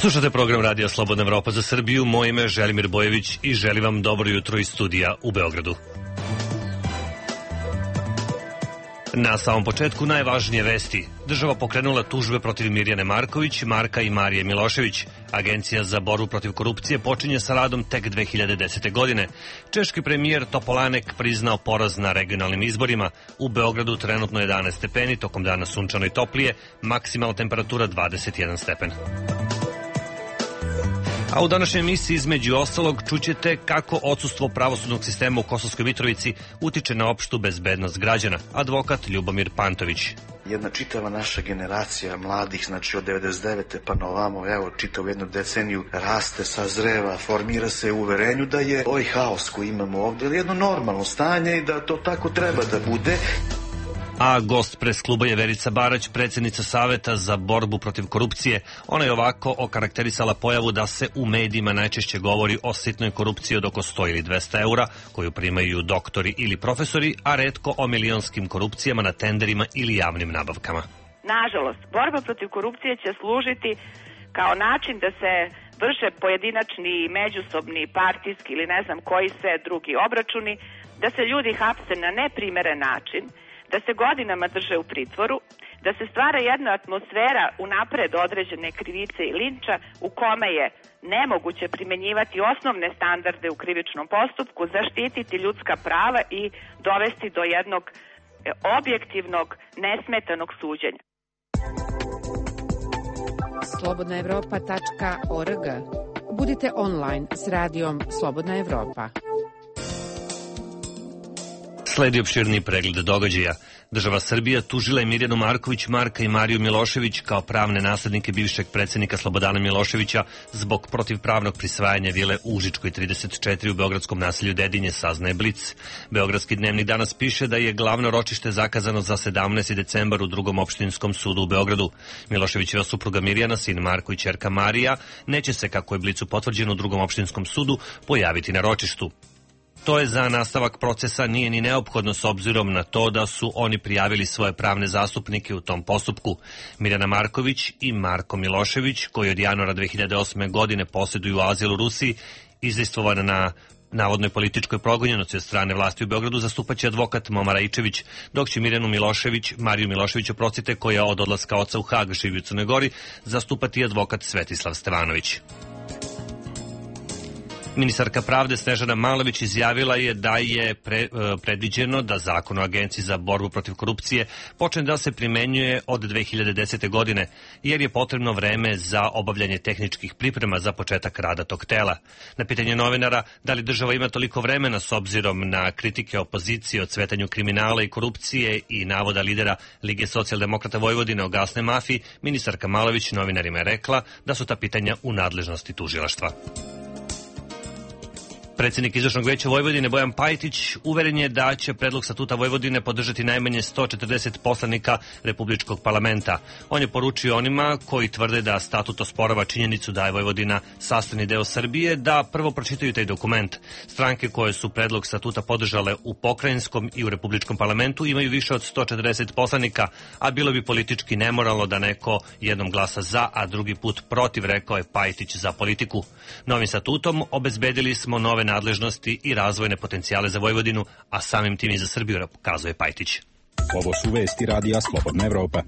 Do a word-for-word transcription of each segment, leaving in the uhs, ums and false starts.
Slušate program Radija Slobodna Evropa za Srbiju. Moje ime je Želimir Bojević i želim vam dobro jutro iz studija u Beogradu. Na samom početku najvažnije vesti. Država pokrenula tužbe protiv Mirjane Marković, Marka i Marije Milošević. Agencija za borbu protiv korupcije počinje sa radom tek dve hiljade desete. godine. Češki premijer Topolanek priznao poraz na regionalnim izborima. U Beogradu trenutno jedanaest stepeni, tokom dana sunčano i toplije, maksimalna temperatura dvadeset jedan stepen. A u današnjoj emisiji između ostalog čućete kako odsustvo pravosudnog sistema u Kosovskoj Mitrovici utiče na opštu bezbednost građana. Advokat Ljubomir Pantović. Jedna čitava naša generacija mladih, znači od devedeset devete pa na ovamo, evo, čitavu jednu deceniju raste, sazreva, formira se u uverenju da je ovaj haos koji imamo ovdje jedno normalno stanje i da to tako treba da bude. A gost pres kluba je Verica Barać, predsjednica Saveta za borbu protiv korupcije. Ona je ovako okarakterisala pojavu da se u medijima najčešće govori o sitnoj korupciji od oko sto ili dvesta eura, koju primaju doktori ili profesori, a retko o milionskim korupcijama na tenderima ili javnim nabavkama. Nažalost, borba protiv korupcije će služiti kao način da se vrše pojedinačni, međusobni, partijski ili ne znam koji sve drugi obračuni, da se ljudi hapse na neprimeren način, da se godinama drže u pritvoru, da se stvara jedna atmosfera unapred određene krivice i linča u kome je nemoguće primenjivati osnovne standarde u krivičnom postupku, zaštititi ljudska prava i dovesti do jednog objektivnog, nesmetanog suđenja. slobodna evropa tačka org. Budite online s radijom Slobodna Evropa. Sledi opširni pregled događaja. Država Srbija tužila je Mirjanu Marković, Marka i Mariju Milošević kao pravne naslednike bivšeg predsjednika Slobodana Miloševića zbog protivpravnog prisvajanja vile u Užičkoj trideset četiri u beogradskom naselju Dedinje, saznaje Blic. Beogradski dnevnik danas piše da je glavno ročište zakazano za sedamnaesti decembar u drugom opštinskom sudu u Beogradu. Miloševićeva supruga Mirjana, sin Marko i ćerka Marija, neće se, kako je Blicu potvrđeno u drugom opštinskom sudu, pojaviti na ročištu. To je za nastavak procesa nije ni neophodno s obzirom na to da su oni prijavili svoje pravne zastupnike u tom postupku. Mirjana Marković i Marko Milošević, koji od januara dve hiljade osme. godine posjeduju azil u Rusiji, izdejstvovana na navodnoj političkoj progonjenosti od strane vlasti u Beogradu, zastupaće advokat Moma Raičević, dok će Mirjanu Milošević, Mariju Milošević, oprostite, koja od odlaska oca u Hag živi u Crnoj Gori, zastupati advokat Svetislav Stevanović. Ministarka pravde Snežana Malović izjavila je da je pre, predviđeno da zakon o Agenciji za borbu protiv korupcije počne da se primenjuje od dve hiljade desete. godine, jer je potrebno vreme za obavljanje tehničkih priprema za početak rada tog tela. Na pitanje novinara da li država ima toliko vremena s obzirom na kritike opozicije o cvetanju kriminala i korupcije i navoda lidera Lige socijaldemokrata Vojvodine o gasnoj mafiji, ministarka Malović novinarima je rekla da su ta pitanja u nadležnosti tužilaštva. Predsjednik Izvršnog veća Vojvodine Bojan Pajtić uveren je da će predlog statuta Vojvodine podržati najmanje sto četrdeset poslanika Republičkog parlamenta. On je poručio onima koji tvrde da statut osporava činjenicu da je Vojvodina sastavni deo Srbije, da prvo pročitaju taj dokument. Stranke koje su predlog statuta podržale u pokrajinskom i u Republičkom parlamentu imaju više od sto četrdeset poslanika, a bilo bi politički nemoralno da neko jednom glasa za, a drugi put protiv, rekao je Pajtić za Politiku. Novim statutom obezbedili smo nove nadležnosti i razvojne potencijale za Vojvodinu, a samim tim i za Srbiju, kazuje Pajtić. Ovo su vesti Radija Slobodna Evropa.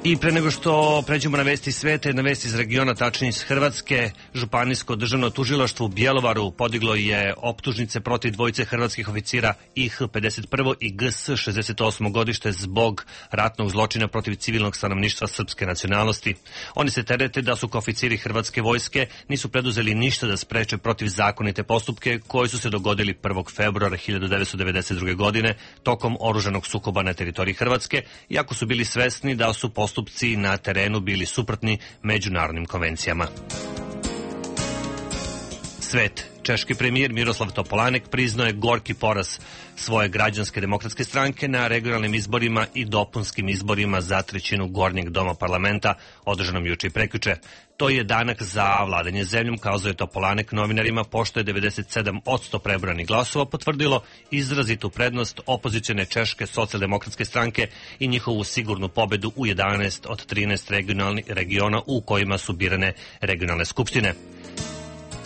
I pre nego što pređemo na vesti sveta, na vesti iz regiona, tačnije iz Hrvatske, Županijsko državno tužilaštvo u Bjelovaru podiglo je optužnice protiv dvojice hrvatskih oficira I H pedeset prvo i G S šezdeset osmo. godište zbog ratnog zločina protiv civilnog stanovništva srpske nacionalnosti. Oni se terete da su kao oficiri hrvatske vojske nisu preduzeli ništa da spreče protivzakonite postupke koji su se dogodili prvog februara hiljadu devetsto devedeset druge. godine tokom oružanog sukoba na teritoriji Hrvatske, iako su bili svesni da su postupci postupci na terenu bili suprotni međunarodnim konvencijama. svet. Češki premijer Miroslav Topolanek priznao je gorki poraz svoje građanske demokratske stranke na regionalnim izborima i dopunskim izborima za trećinu gornjeg doma parlamenta održanom juče i prekjuče. To je danak za vladanje zemljom, kazao je Topolanek novinarima, pošto je devedeset sedam posto prebranih glasova potvrdilo izrazitu prednost opozicione Češke socijaldemokratske stranke i njihovu sigurnu pobedu u jedanaest od trinaest regiona u kojima su birane regionalne skupštine.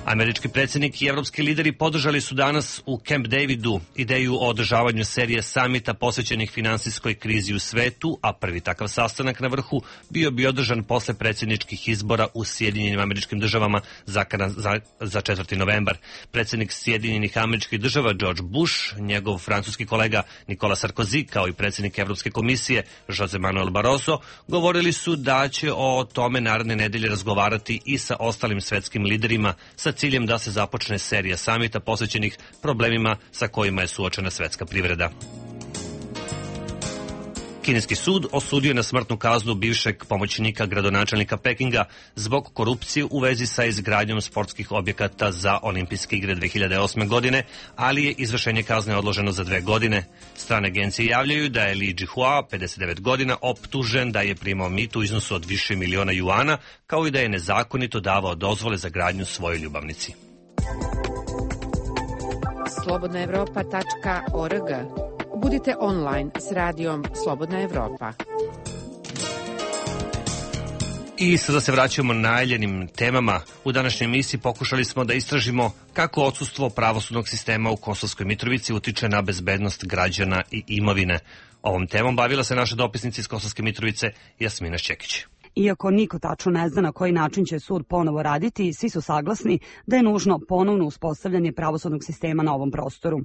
Američki predsjednik i evropski lideri podržali su danas u Camp Davidu ideju o održavanju serije samita posvećenih finansijskoj krizi u svetu, a prvi takav sastanak na vrhu bio bi održan posle predsjedničkih izbora u Sjedinjenim Američkim Državama za, za, za četvrti novembar. Predsjednik Sjedinjenih Američkih Država George Bush, njegov francuski kolega Nicolas Sarkozy, kao i predsjednik Evropske komisije José Manuel Barroso, govorili su da će o tome naredne nedelje razgovarati i sa ostalim svetskim liderima sa ciljem da se započne serija samita posvećenih problemima sa kojima je suočena svetska privreda. Kineski sud osudio na smrtnu kaznu bivšeg pomoćnika gradonačelnika Pekinga zbog korupcije u vezi sa izgradnjom sportskih objekata za olimpijske igre dve hiljade osme. godine, ali je izvršenje kazne odloženo za dve godine. Strane agencije javljaju da je Li Jihua, pedeset devet godina, optužen da je primao mito u iznosu od više miliona juana, kao i da je nezakonito davao dozvole za gradnju svojoj ljubavnici. slobodna evropa tačka org. Budite online s radijom Slobodna Evropa. I sada se vraćamo najavljenim temama. U današnjoj emisiji pokušali smo da istražimo kako odsustvo pravosudnog sistema u Kosovskoj Mitrovici utiče na bezbednost građana i imovine. Ovom temom bavila se naša dopisnica iz Kosovske Mitrovice Jasmina Šćekić. Iako niko tačno ne zna na koji način će sud ponovo raditi, svi su saglasni da je nužno ponovno uspostavljanje pravosudnog sistema na ovom prostoru.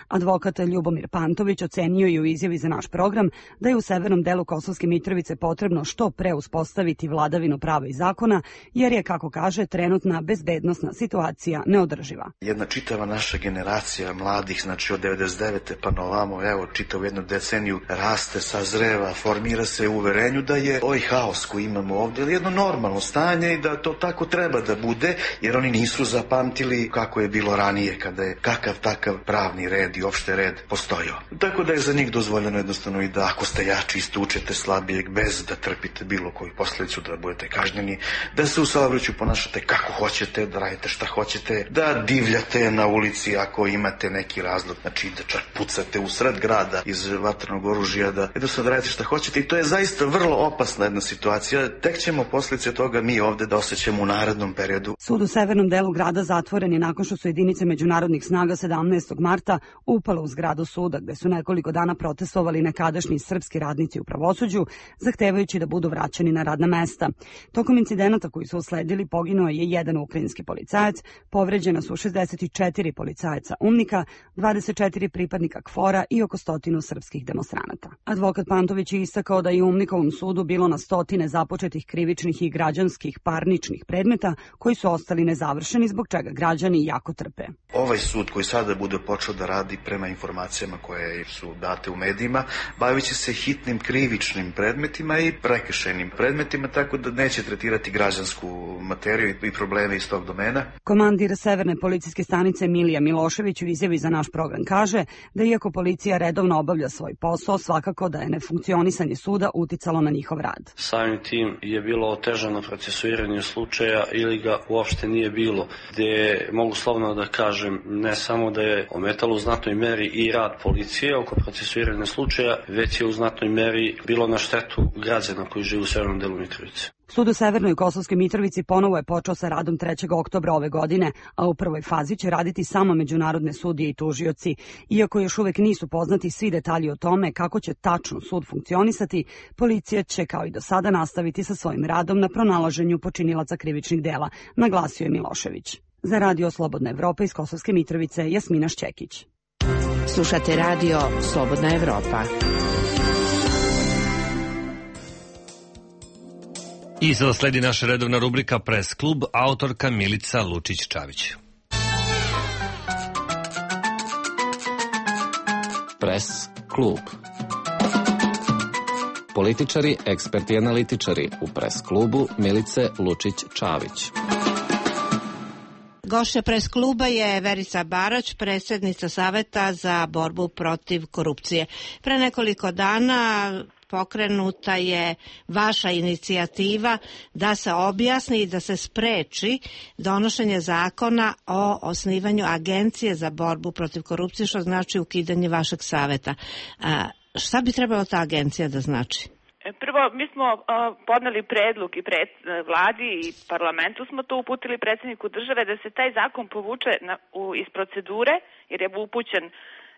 Advokat Ljubomir Pantović ocenio je u izjavi za naš program da je u severnom delu Kosovske Mitrovice potrebno što pre uspostaviti vladavinu prava i zakona, jer je, kako kaže, trenutna bezbednosna situacija neodrživa. Jedna čitava naša generacija mladih, znači od devedeset devete pa na ovamo, evo, čitav jednu deceniju raste, sazreva, formira se u uverenju da je ovaj haos koji imamo ovdje jedno normalno stanje i da to tako treba da bude, jer oni nisu zapamtili kako je bilo ranije, kada je kakav takav pravni red i opšte red postojao. Tako da je za njih dozvoljeno jednostavno i da ako ste jači istučete slabijeg bez da trpite bilo koju posljedicu, da budete kažnjeni, da se u saobraćaju ponašate kako hoćete, da radite šta hoćete, da divljate na ulici ako imate neki razlog, znači da čak pucate u sred grada iz vatrenog oružja, da jednostavno da radite šta hoćete, i to je zaista vrlo opasna jedna situacija. Tek ćemo posljedice toga mi ovde da osjećamo u narednom periodu. Sud u severnom delu grada zatvoren je nakon što su jedinice međunarodnih snaga sedamnaestog marta upale u zgradu suda, gde su nekoliko dana protestovali nekadašnji srpski radnici u pravosuđu, zahtevajući da budu vraćeni na radna mesta. Tokom incidenata koji su usledili poginuo je jedan ukrajinski policajac, povređena su šezdeset četiri policajaca umnika, dvadeset četiri pripadnika KFOR-a i oko stotinu srpskih demonstranata. Advokat Pantović je istakao da je u umnikovom sudu bilo na stotine započetih krivičnih i građanskih parničnih predmeta koji su ostali nezavršeni, zbog čega građani jako trpe. Ovaj sud koji sada bude počeo da radi prema informacijama koje su date u medijima, bavit će se hitnim krivičnim predmetima i prekršajnim predmetima, tako da neće tretirati građansku materiju i probleme iz tog domena. Komandir Severne policijske stanice Milija Milošević u izjavi za naš program kaže da iako policija redovno obavlja svoj posao, svakako da je nefunkcionisanje suda uticalo na njihov rad. Samim tim je bilo otežano procesuiranje slučaja ili ga uopšte nije bilo, gde mogu slovno da kažem ne samo da je ometalo u znatnoj meri i rad policije oko procesuiranja slučaja, već je u znatnoj meri bilo na štetu građana koji žive u severnom delu Mitrovice. Sud u Severnoj Kosovskoj Mitrovici ponovo je počeo sa radom trećeg oktobra ove godine, a u prvoj fazi će raditi samo međunarodne sudije i tužioci. Iako još uvek nisu poznati svi detalji o tome kako će tačno sud funkcionisati, policija će kao i do sada nastaviti sa svojim radom na pronalaženju počinilaca krivičnih dela, naglasio je Milošević. Za Radio Slobodna Evropa iz Kosovske Mitrovice, Jasmina Šćekić. Slušate Radio Slobodna Evropa. I sada sledi naša redovna rubrika Press klub, autorka Milica Lučić-Čavić. Press klub. Političari, eksperti i analitičari u Press klubu Milice Lučić-Čavić. Gošća pres kluba je Verica Barać, predsjednica Saveta za borbu protiv korupcije. Pre nekoliko dana pokrenuta je vaša inicijativa da se objasni i da se spreči donošenje zakona o osnivanju agencije za borbu protiv korupcije, što znači ukidanje vašeg saveta. A, šta bi trebala ta agencija da znači? Prvo, mi smo uh, podneli predlog i pred uh, vladi i parlamentu smo to uputili predsjedniku države da se taj zakon povuče na, u, iz procedure, jer je upućen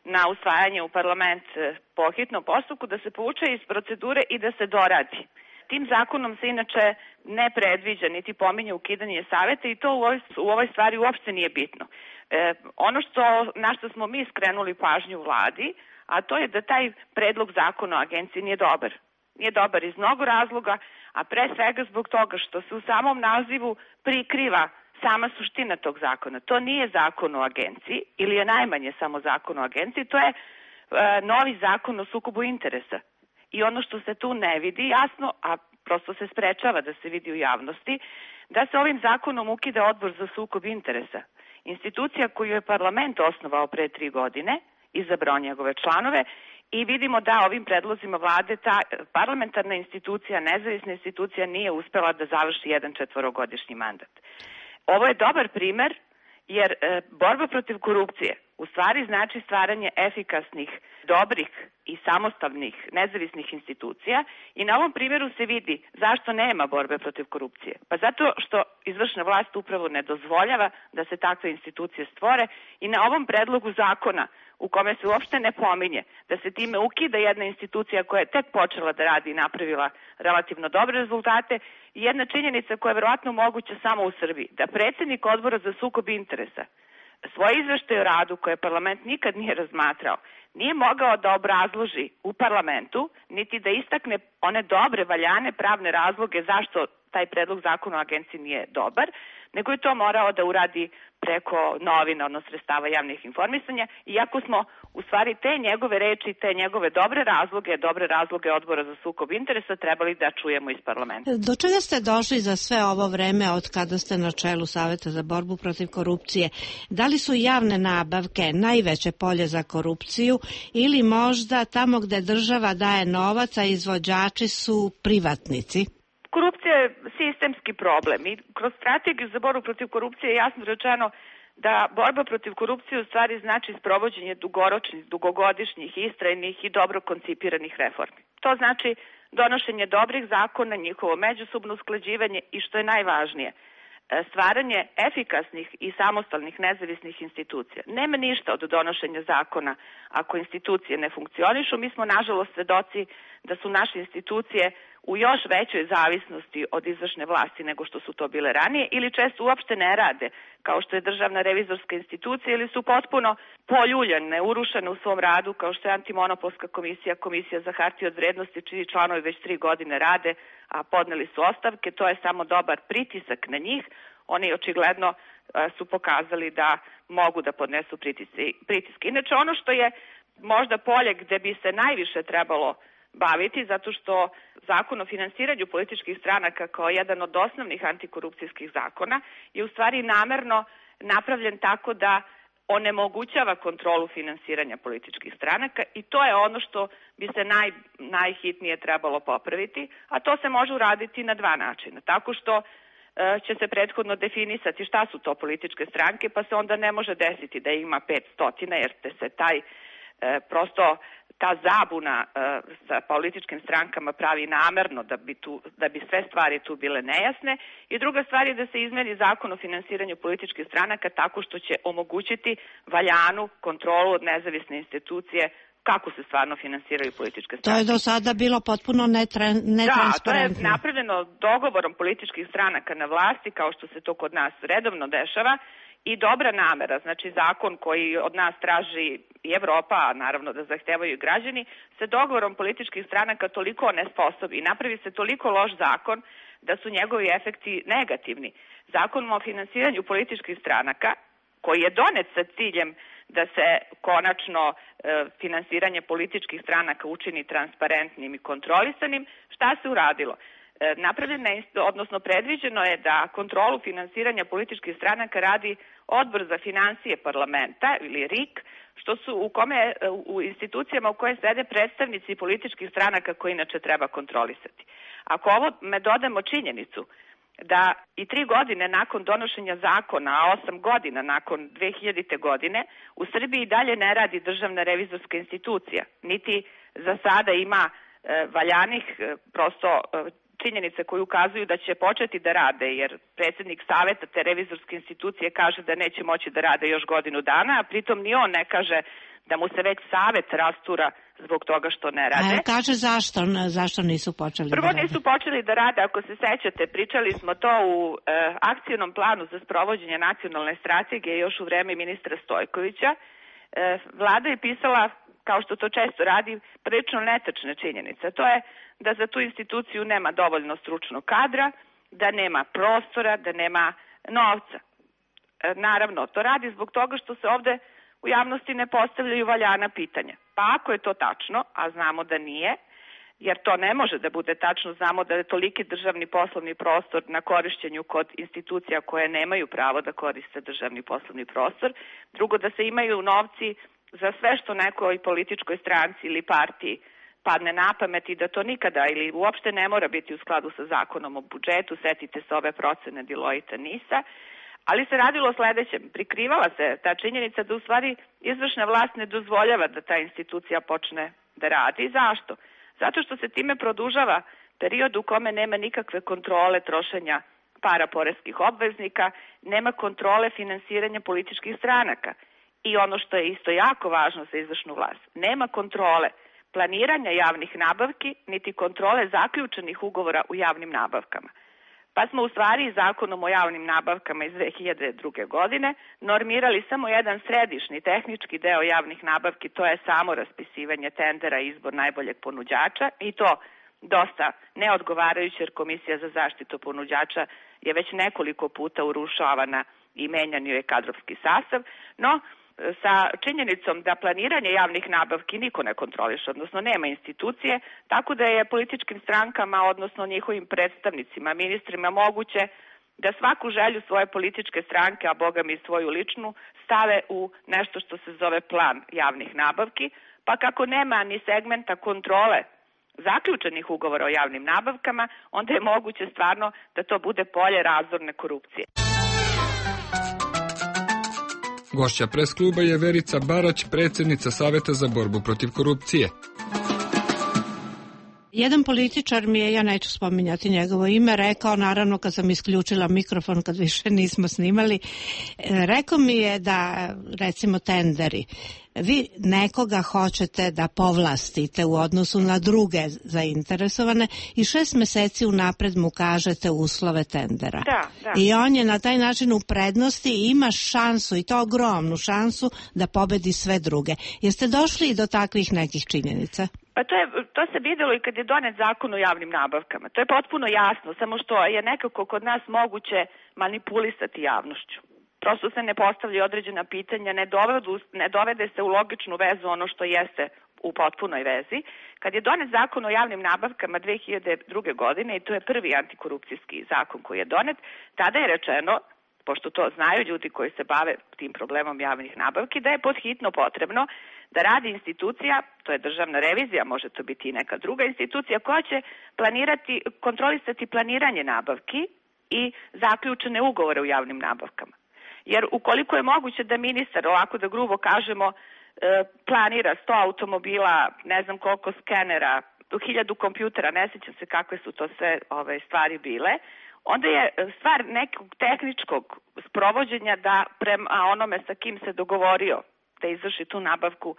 na usvajanje u parlament uh, po hitnom postupku, da se povuče iz procedure i da se doradi. Tim zakonom se inače ne predviđa niti pominje ukidanje saveta i to u ovoj, u ovoj stvari uopšte nije bitno. E, ono što, na što smo mi skrenuli pažnju vladi, a to je da taj predlog zakona o agenciji nije dobar. Nije dobar iz mnogo razloga, a pre svega zbog toga što se u samom nazivu prikriva sama suština tog zakona. To nije zakon o agenciji ili je najmanje samo zakon o agenciji, to je e, novi zakon o sukobu interesa. I ono što se tu ne vidi jasno, a prosto se sprečava da se vidi u javnosti, da se ovim zakonom ukida odbor za sukob interesa. Institucija koju je parlament osnovao pre tri godine, izabrao njegove članove, i vidimo da ovim predlozima vlade ta parlamentarna institucija, nezavisna institucija nije uspela da završi jedan četvorogodišnji mandat. Ovo je dobar primer jer e, borba protiv korupcije u stvari znači stvaranje efikasnih, dobrih i samostalnih nezavisnih institucija i na ovom primjeru se vidi zašto nema borbe protiv korupcije. Pa zato što izvršna vlast upravo ne dozvoljava da se takve institucije stvore i na ovom predlogu zakona u kome se uopšte ne pominje da se time ukida jedna institucija koja je tek počela da radi i napravila relativno dobre rezultate i jedna činjenica koja je verovatno moguća samo u Srbiji, da predsjednik odbora za sukob interesa svoje izveštaje o radu koje parlament nikad nije razmatrao, nije mogao da obrazloži u parlamentu, niti da istakne one dobre, valjane pravne razloge zašto taj predlog zakona o agenciji nije dobar, nego je to morao da uradi preko novina, odnosno sredstava javnih informisanja, iako smo u stvari te njegove reči, te njegove dobre razloge, dobre razloge odbora za sukob interesa trebali da čujemo iz parlamenta. Do čega ste došli za sve ovo vreme od kada ste na čelu Saveta za borbu protiv korupcije? Da li su javne nabavke najveće polje za korupciju ili možda tamo gde država daje novac, a izvođači su privatnici? Korupcija je sistemski problem i kroz strategiju za borbu protiv korupcije je jasno rečeno da borba protiv korupcije u stvari znači sprovođenje dugoročnih, dugogodišnjih, istrajnih i dobro koncipiranih reformi. To znači donošenje dobrih zakona, njihovo međusobno usklađivanje i što je najvažnije, stvaranje efikasnih i samostalnih nezavisnih institucija. Nema ništa od donošenja zakona ako institucije ne funkcionišu. Mi smo nažalost svedoci da su naše institucije u još većoj zavisnosti od izvršne vlasti nego što su to bile ranije ili često uopšte ne rade, kao što je Državna revizorska institucija ili su potpuno poljuljane, urušene u svom radu, kao što je Antimonopolska komisija, Komisija za hartije od vrednosti, čiji članovi već tri godine rade, a podneli su ostavke. To je samo dobar pritisak na njih. Oni očigledno su pokazali da mogu da podnesu pritiske. Inače, ono što je možda polje gde bi se najviše trebalo baviti, zato što Zakon o finansiranju političkih stranaka kao jedan od osnovnih antikorupcijskih zakona je u stvari namerno napravljen tako da onemogućava kontrolu finansiranja političkih stranaka i to je ono što bi se naj, najhitnije trebalo popraviti, a to se može uraditi na dva načina. Tako što e, će se prethodno definisati šta su to političke stranke, pa se onda ne može desiti da ima petsto, jer te se taj e, prosto ta zabuna e, sa političkim strankama pravi namerno da bi, tu, da bi sve stvari tu bile nejasne. I druga stvar je da se izmeni Zakon o finansiranju političkih stranaka tako što će omogućiti valjanu kontrolu od nezavisne institucije kako se stvarno finansiraju političke stranke. To je do sada bilo potpuno netransparentno. Da, to je napravljeno dogovorom političkih stranaka na vlasti, kao što se to kod nas redovno dešava, i dobra namera, znači zakon koji od nas traži i Evropa, a naravno da zahtevaju i građani, se dogovorom političkih stranaka toliko nesposobi i napravi se toliko loš zakon da su njegovi efekti negativni. Zakon o finansiranju političkih stranaka, koji je donet sa ciljem da se konačno e, finansiranje političkih stranaka učini transparentnim i kontrolisanim, šta se uradilo? napravljena, odnosno predviđeno je da kontrolu finansiranja političkih stranaka radi Odbor za financije parlamenta ili R I K, što su u kome u institucijama u koje sede predstavnici političkih stranaka koje inače treba kontrolisati. Ako ovo me dodamo činjenicu da i tri godine nakon donošenja zakona, a osam godina nakon dve hiljadite godine, u Srbiji dalje ne radi državna revizorska institucija, niti za sada ima e, valjanih e, prosto e, činjenice koje ukazuju da će početi da rade, jer predsjednik saveta te revizorske institucije kaže da neće moći da rade još godinu dana, a pritom ni on ne kaže da mu se već savet rastura zbog toga što ne rade. A kaže zašto, zašto nisu počeli Prvo da rade? nisu počeli da rade, ako se sećate, pričali smo to u e, akcijnom planu za sprovođenje nacionalne strategije još u vreme ministra Stojkovića. E, Vlada je pisala, kao što to često radi, prilično netačne činjenice. To je da za tu instituciju nema dovoljno stručnog kadra, da nema prostora, da nema novca. E, naravno, to radi zbog toga što se ovde u javnosti ne postavljaju valjana pitanja. Pa ako je to tačno, a znamo da nije, jer to ne može da bude tačno, znamo da je toliki državni poslovni prostor na korišćenju kod institucija koje nemaju pravo da koriste državni poslovni prostor. Drugo, da se imaju novci za sve što nekoj političkoj stranci ili partiji padne na pamet i da to nikada ili uopšte ne mora biti u skladu sa zakonom o budžetu. Setite se ove procene Deloitte Nisa. Ali se radilo o sledećem. Prikrivala se ta činjenica da u stvari izvršna vlast ne dozvoljava da ta institucija počne da radi. Zašto? Zato što se time produžava period u kome nema nikakve kontrole trošenja para poreskih obveznika, nema kontrole finansiranja političkih stranaka. I ono što je isto jako važno za izvršnu vlast, nema kontrole planiranja javnih nabavki, niti kontrole zaključenih ugovora u javnim nabavkama. Pa smo u stvari zakonom o javnim nabavkama iz dve hiljade druge. godine normirali samo jedan središnji tehnički deo javnih nabavki, to je samo raspisivanje tendera i izbor najboljeg ponuđača i to dosta neodgovarajuće jer Komisija za zaštitu ponuđača je već nekoliko puta urušavana i menjan joj je kadrovski sastav, no sa činjenicom da planiranje javnih nabavki niko ne kontroliše, odnosno nema institucije, tako da je političkim strankama, odnosno njihovim predstavnicima, ministrima moguće da svaku želju svoje političke stranke, a boga mi svoju ličnu, stave u nešto što se zove plan javnih nabavki, pa kako nema ni segmenta kontrole zaključenih ugovora o javnim nabavkama, onda je moguće stvarno da to bude polje razorne korupcije. Gošća pres kluba je Verica Barać, predsjednica Saveta za borbu protiv korupcije. Jedan političar mi je, ja neću spominjati njegovo ime, rekao, naravno kad sam isključila mikrofon, kad više nismo snimali, rekao mi je da, recimo, tenderi, vi nekoga hoćete da povlastite u odnosu na druge zainteresovane i šest meseci unapred mu kažete uslove tendera. Da, da. I on je na taj način u prednosti i ima šansu, i to ogromnu šansu, da pobedi sve druge. Jeste došli i do takvih nekih činjenica? Pa to, je, to se videlo i kad je donet zakon o javnim nabavkama. To je potpuno jasno, samo što je nekako kod nas moguće manipulisati javnošću. Prosto se ne postavljaju određena pitanja, ne, dovedu, ne dovede se u logičnu vezu ono što jeste u potpunoj vezi. Kad je donet zakon o javnim nabavkama dve hiljade druge. godine, i to je prvi antikorupcijski zakon koji je donet, tada je rečeno, pošto to znaju ljudi koji se bave tim problemom javnih nabavki, da je podhitno potrebno da radi institucija, to je državna revizija, može to biti i neka druga institucija, koja će planirati, kontrolisati planiranje nabavki i zaključene ugovore u javnim nabavkama. Jer ukoliko je moguće da ministar, ovako da grubo kažemo, planira sto automobila, ne znam koliko skenera, hiljadu kompjutera, ne sjećam se kakve su to sve ove stvari bile, onda je stvar nekog tehničkog sprovođenja da prema onome sa kim se dogovorio da izvrši tu nabavku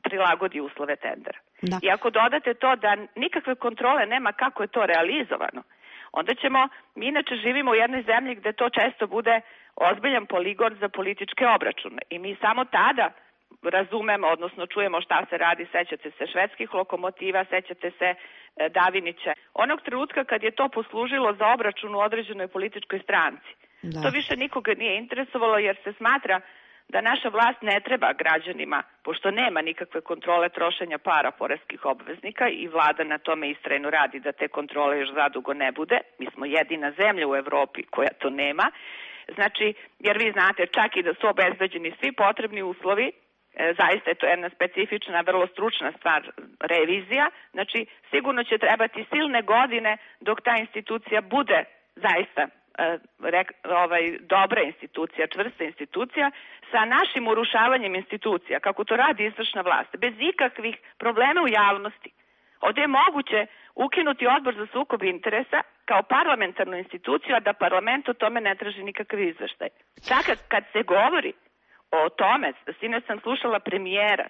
prilagodi uslove tendera. Da. I ako dodate to da nikakve kontrole nema kako je to realizovano, onda ćemo, mi inače živimo u jednoj zemlji gde to često bude ozbiljan poligon za političke obračune i mi samo tada razumemo, odnosno čujemo šta se radi, sećate se švedskih lokomotiva, sećate se Davinića. Onog trenutka kad je to poslužilo za obračun u određenoj političkoj stranci. Da. To više nikoga nije interesovalo jer se smatra da naša vlast ne treba građanima, pošto nema nikakve kontrole trošenja para poreskih obveznika i vlada na tome istrajno radi da te kontrole još zadugo ne bude. Mi smo jedina zemlja u Evropi koja to nema. Znači, jer vi znate, čak i da su obezbeđeni svi potrebni uslovi, e, zaista je to jedna specifična, vrlo stručna stvar, revizija, znači sigurno će trebati silne godine dok ta institucija bude zaista e, rek, ovaj, dobra institucija, čvrsta institucija, sa našim urušavanjem institucija, kako to radi izvršna vlast, bez ikakvih problema u javnosti. Ovdje je moguće ukinuti odbor za sukob interesa kao parlamentarnu instituciju, a da parlament o tome ne traži nikakav izveštaj. Čak kad se govori o tome, sinoć sam slušala premijera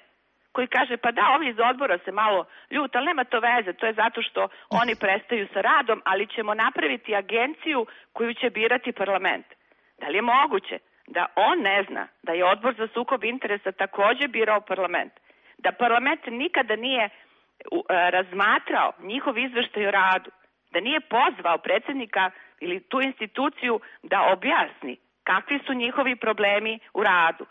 koji kaže pa da, ovi iz odbora se malo ljute, ali nema to veze, to je zato što oni prestaju sa radom, ali ćemo napraviti agenciju koju će birati parlament. Da li je moguće da on ne zna da je odbor za sukob interesa takođe birao parlament? Da parlament nikada nije razmatrao njihov izveštaj o radu, da nije pozvao predsjednika ili tu instituciju da objasni kakvi su njihovi problemi u radu,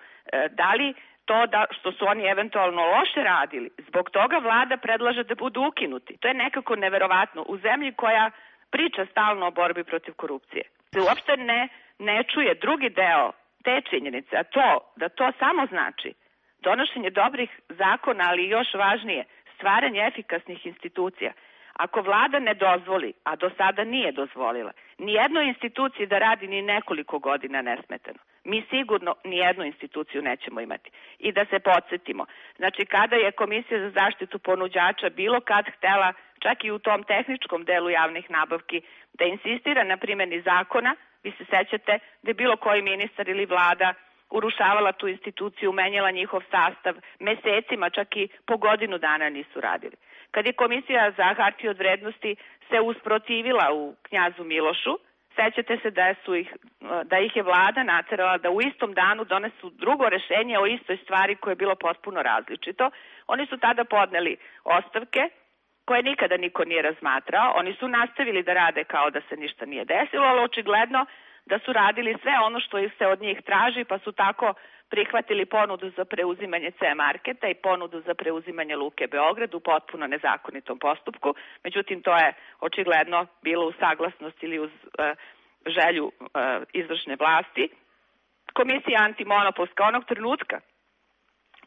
da li to da što su oni eventualno loše radili, zbog toga vlada predlaže da budu ukinuti. To je nekako neverovatno u zemlji koja priča stalno o borbi protiv korupcije. Se uopšte ne, ne čuje drugi deo te činjenice, a to da to samo znači donošenje dobrih zakona, ali još važnije, stvaranje efikasnih institucija. Ako vlada ne dozvoli, a do sada nije dozvolila, nijednoj instituciji da radi ni nekoliko godina nesmetano, mi sigurno nijednu instituciju nećemo imati. I da se podsjetimo, znači kada je Komisija za zaštitu ponuđača bilo kad htela, čak i u tom tehničkom delu javnih nabavki, da insistira na primjeni zakona, vi se sećate da je bilo koji ministar ili vlada urušavala tu instituciju, menjala njihov sastav, mesecima, čak i po godinu dana nisu radili. Kad je Komisija za hartije od vrednosti se usprotivila u Knjazu Milošu, sećate se da, su ih, da ih je vlada naterala da u istom danu donesu drugo rešenje o istoj stvari koje je bilo potpuno različito. Oni su tada podneli ostavke koje nikada niko nije razmatrao. Oni su nastavili da rade kao da se ništa nije desilo, ali očigledno da su radili sve ono što se od njih traži, pa su tako prihvatili ponudu za preuzimanje C Marketa i ponudu za preuzimanje Luke Beograd u potpuno nezakonitom postupku. Međutim, to je očigledno bilo u saglasnosti ili uz e, želju e, izvršne vlasti. Komisija antimonopolska onog trenutka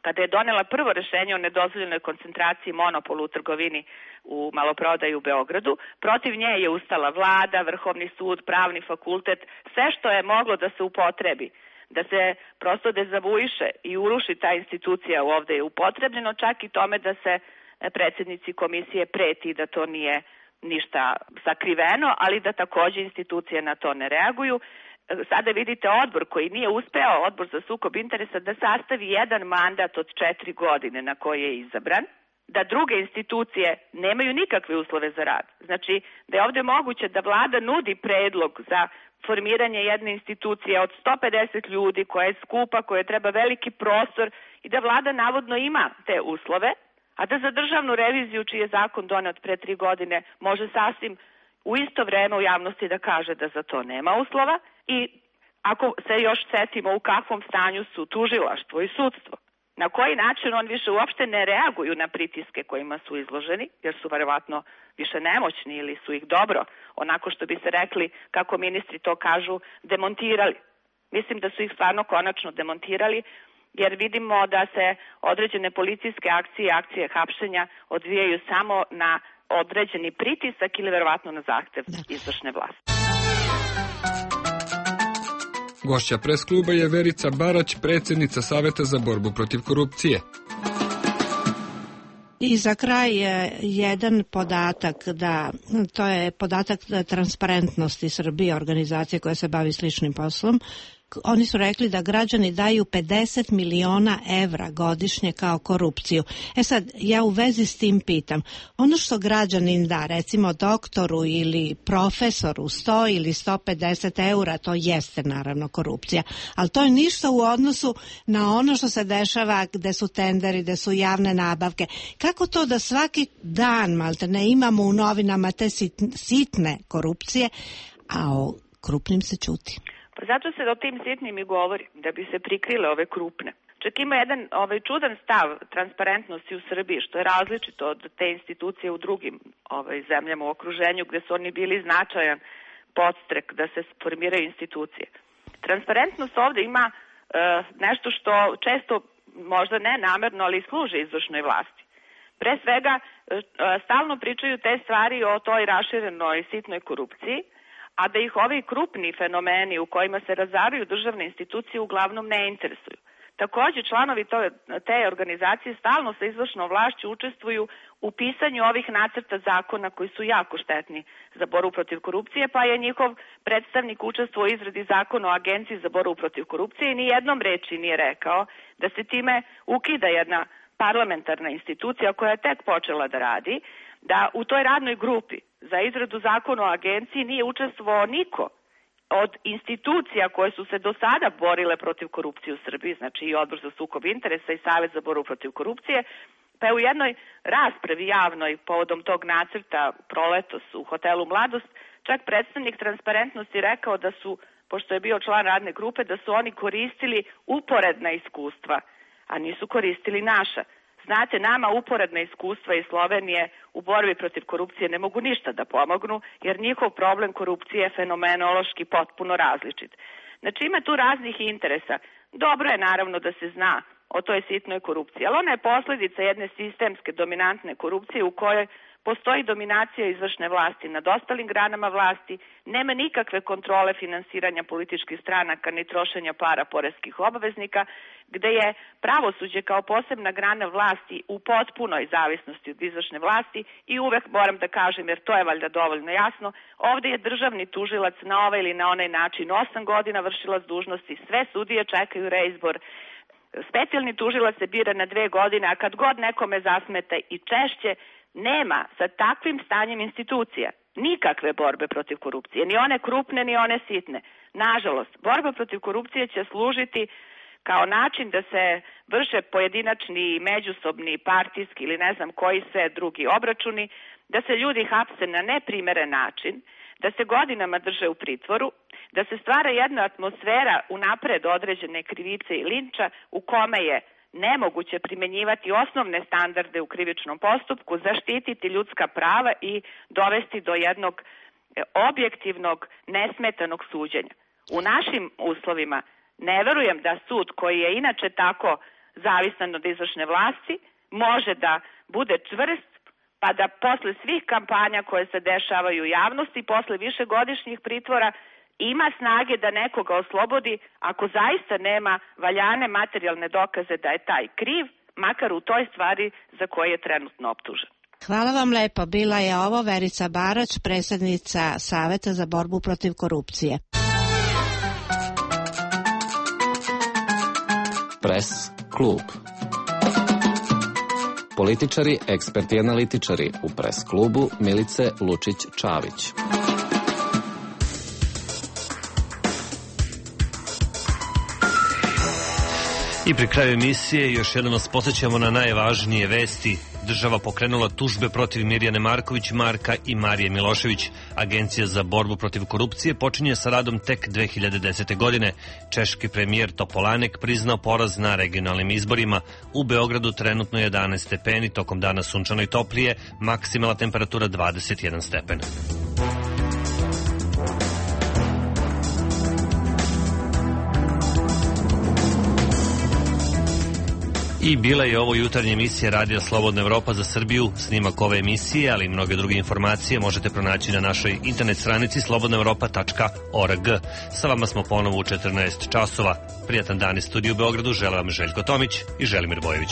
kada je donela prvo rešenje o nedozvoljenoj koncentraciji monopola u trgovini u maloprodaju u Beogradu, protiv nje je ustala vlada, Vrhovni sud, pravni fakultet, sve što je moglo da se upotrebi, da se prosto dezavuiše i uruši ta institucija ovde je upotrebljeno, čak i tome da se predsjednici komisije preti da to nije ništa sakriveno, ali da takođe institucije na to ne reaguju. Sada vidite odbor koji nije uspeo, odbor za sukob interesa, da sastavi jedan mandat od četiri godine na koji je izabran, da druge institucije nemaju nikakve uslove za rad. Znači, da je ovde moguće da vlada nudi predlog za formiranje jedne institucije od sto pedeset ljudi koja je skupa, koja treba veliki prostor i da vlada navodno ima te uslove, a da za državnu reviziju, čiji je zakon donet pre tri godine, može sasvim u isto vreme u javnosti da kaže da za to nema uslova. I ako se još setimo u kakvom stanju su tužilaštvo i sudstvo, na koji način on više uopšte ne reaguju na pritiske kojima su izloženi, jer su verovatno više nemoćni ili su ih dobro, onako što bi se rekli, kako ministri to kažu, demontirali. Mislim da su ih stvarno konačno demontirali, jer vidimo da se određene policijske akcije, akcije hapšenja odvijaju samo na određeni pritisak ili verovatno na zahtev izvršne vlasti. Gošća pres kluba je Verica Barać, predsjednica Saveta za borbu protiv korupcije. I za kraj je jedan podatak, da to je podatak Transparentnosti Srbije, organizacije koja se bavi sličnim poslom. Oni su rekli da građani daju pedeset miliona evra godišnje kao korupciju. E sad, ja u vezi s tim pitam, ono što građanin da, recimo doktoru ili profesoru sto ili sto pedeset eura, to jeste naravno korupcija, ali to je ništa u odnosu na ono što se dešava gde su tenderi, gde su javne nabavke. Kako to da svaki dan, malte ne, imamo u novinama te sitne korupcije, a o krupnim se ćuti? Pa zato se o tim sitnim i govori, da bi se prikrile ove krupne. Čak ima jedan ovaj, čudan stav transparentnosti u Srbiji, što je različito od te institucije u drugim ovaj, zemljama u okruženju, gde su oni bili značajan podstrek da se formiraju institucije. Transparentnost ovde ima e, nešto što često, možda ne namerno, ali služi izvršnoj vlasti. Pre svega, e, stalno pričaju te stvari o toj raširenoj sitnoj korupciji, a da ih ovi krupni fenomeni u kojima se razaruju državne institucije uglavnom ne interesuju. Takođe, članovi to, te organizacije stalno sa izvršnom vlašću učestvuju u pisanju ovih nacrta zakona koji su jako štetni za borbu protiv korupcije, pa je njihov predstavnik učestvovao u izradi zakona o Agenciji za borbu protiv korupcije i ni jednom reči nije rekao da se time ukida jedna parlamentarna institucija koja je tek počela da radi, da u toj radnoj grupi za izradu zakona o agenciji nije učestvovao niko od institucija koje su se do sada borile protiv korupcije u Srbiji, znači i Odbor za sukob interesa i Savet za borbu protiv korupcije, pa je u jednoj raspravi javnoj povodom tog nacrta proletos u hotelu Mladost, čak predstavnik transparentnosti rekao da su, pošto je bio član radne grupe, da su oni koristili uporedna iskustva, a nisu koristili naša. Znate, nama uporedna iskustva iz Slovenije u borbi protiv korupcije ne mogu ništa da pomognu, jer njihov problem korupcije je fenomenološki potpuno različit. Znači, ima tu raznih interesa. Dobro je naravno da se zna o toj sitnoj korupciji, ali ona je posledica jedne sistemske dominantne korupcije u kojoj postoji dominacija izvršne vlasti nad ostalim granama vlasti, nema nikakve kontrole finansiranja političkih stranaka ni trošenja para poreskih obveznika, gde je pravosuđe kao posebna grana vlasti u potpunoj zavisnosti od izvršne vlasti i uvek moram da kažem, jer to je valjda dovoljno jasno, ovde je državni tužilac na ovaj ili na onaj način osam godina vršilac dužnosti, sve sudije čekaju reizbor, specijalni tužilac se bira na dve godine, a kad god nekome zasmeta i češće, nema sa takvim stanjem institucija nikakve borbe protiv korupcije, ni one krupne, ni one sitne. Nažalost, borba protiv korupcije će služiti kao način da se vrše pojedinačni, međusobni, partijski ili ne znam koji sve drugi obračuni, da se ljudi hapse na neprimeren način, da se godinama drže u pritvoru, da se stvara jedna atmosfera unapred određene krivice i linča u kome je nemoguće primenjivati osnovne standarde u krivičnom postupku, zaštititi ljudska prava i dovesti do jednog objektivnog, nesmetanog suđenja. U našim uslovima ne verujem da sud, koji je inače tako zavisan od izvršne vlasti, može da bude čvrst, pa da posle svih kampanja koje se dešavaju u javnosti, posle višegodišnjih pritvora, ima snage da nekoga oslobodi ako zaista nema valjane materijalne dokaze da je taj kriv, makar u toj stvari za koje je trenutno optužen. Hvala vam lepo. Bila je ovo Verica Barać, predsjednica Saveta za borbu protiv korupcije. Pres klub. Političari, eksperti i analitičari u Pres klubu Milice Lučić-Čavić. I pri kraju emisije još jednom nas posjećamo na najvažnije vesti. Država pokrenula tužbe protiv Mirjane Marković, Marka i Marije Milošević. Agencija za borbu protiv korupcije počinje sa radom tek dve hiljade desete. godine. Češki premijer Topolanek priznao poraz na regionalnim izborima. U Beogradu trenutno jedanaest stepeni, tokom dana sunčano i toplije, maksimalna temperatura dvadeset jedan stepen. I bila je ovo jutarnja emisija Radija Slobodna Evropa za Srbiju. Snimak ove emisije, ali i mnoge druge informacije možete pronaći na našoj internet stranici slobodna evropa tačka org. Sa vama smo ponovo u četrnaest časova. Prijatan dan iz studiju u Beogradu. Želim vam Željko Tomić i Želimir Bojević.